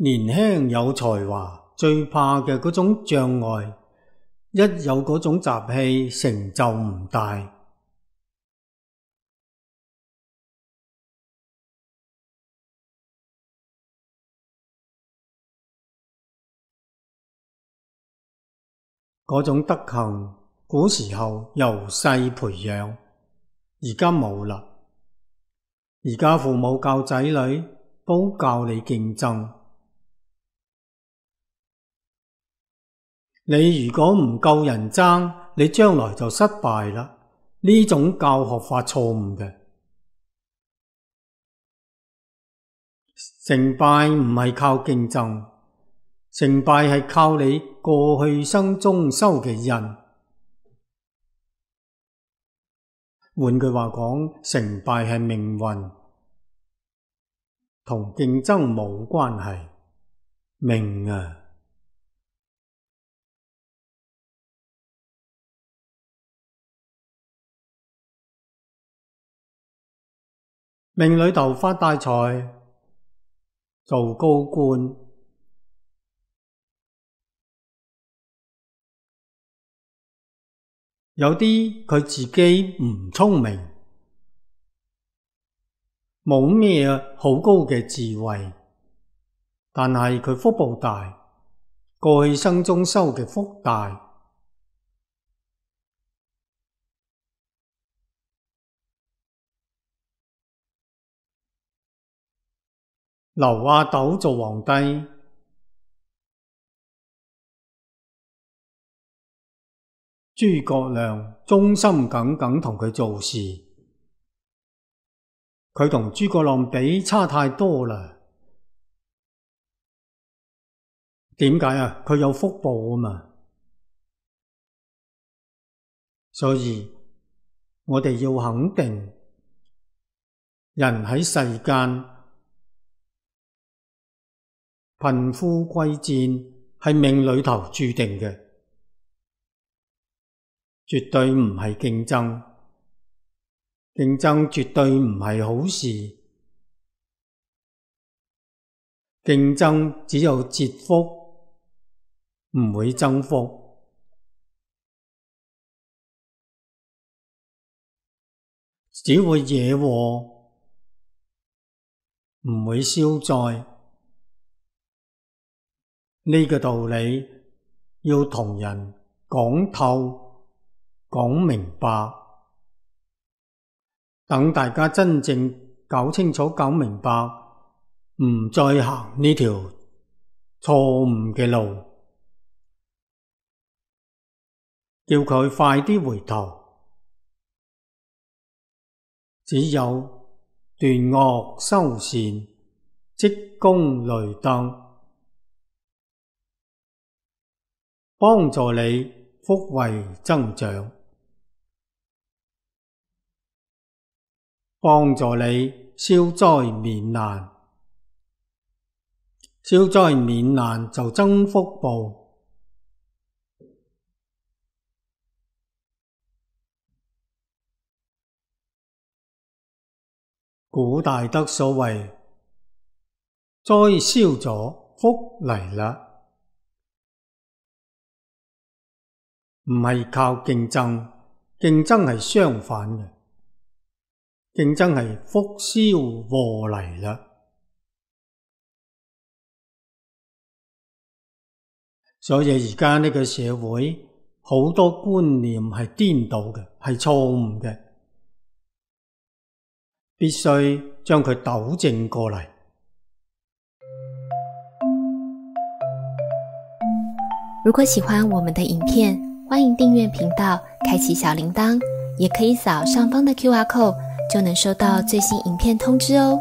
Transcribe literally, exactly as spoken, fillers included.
年輕有才華，最怕嘅嗰種障礙，一有嗰種習氣，成就唔大。嗰種德行，古時候由細培養，而家冇啦。而家父母教仔女，都教你競爭。你如果唔夠人爭，你將來就失敗啦。呢種教學法錯誤嘅。成敗唔係靠競爭，成敗係靠你過去生中修嘅因。換句話講，成敗係命運，同競爭冇關係。命啊！命裏頭發大財，做高官，有啲佢自己唔聰明，冇咩好高嘅智慧，但係佢福報大，過去生中修嘅福大。劉阿斗做皇帝，諸葛亮忠心耿耿同佢做事，佢同諸葛亮比差太多啦。點解啊？佢有福報啊嘛。所以我哋要肯定，人喺世間貧富貴賤係命裏頭注定嘅，絕對唔係競爭，競爭絕對唔係好事，競爭只有折福，唔會增福，只會惹禍，唔會消災。呢個道理要同人講透、講明白，等大家真正搞清楚、搞明白，唔再行呢條錯誤嘅路，叫佢快啲回頭。只有斷惡修善，積功累德，幫助你福慧增長，幫助你消災免難，消災免難就增福報。古大德所謂，災消咗，福嚟啦。唔係靠競爭，競爭係相反嘅，競爭係福消禍嚟啦。所以而家呢個社會好多觀念係顛倒嘅，係錯誤嘅，必須將佢糾正過嚟。如果喜歡我們的影片，歡迎訂閱頻道，開啟小鈴鐺，也可以掃上方的 Q R code，就能收到最新影片通知哦。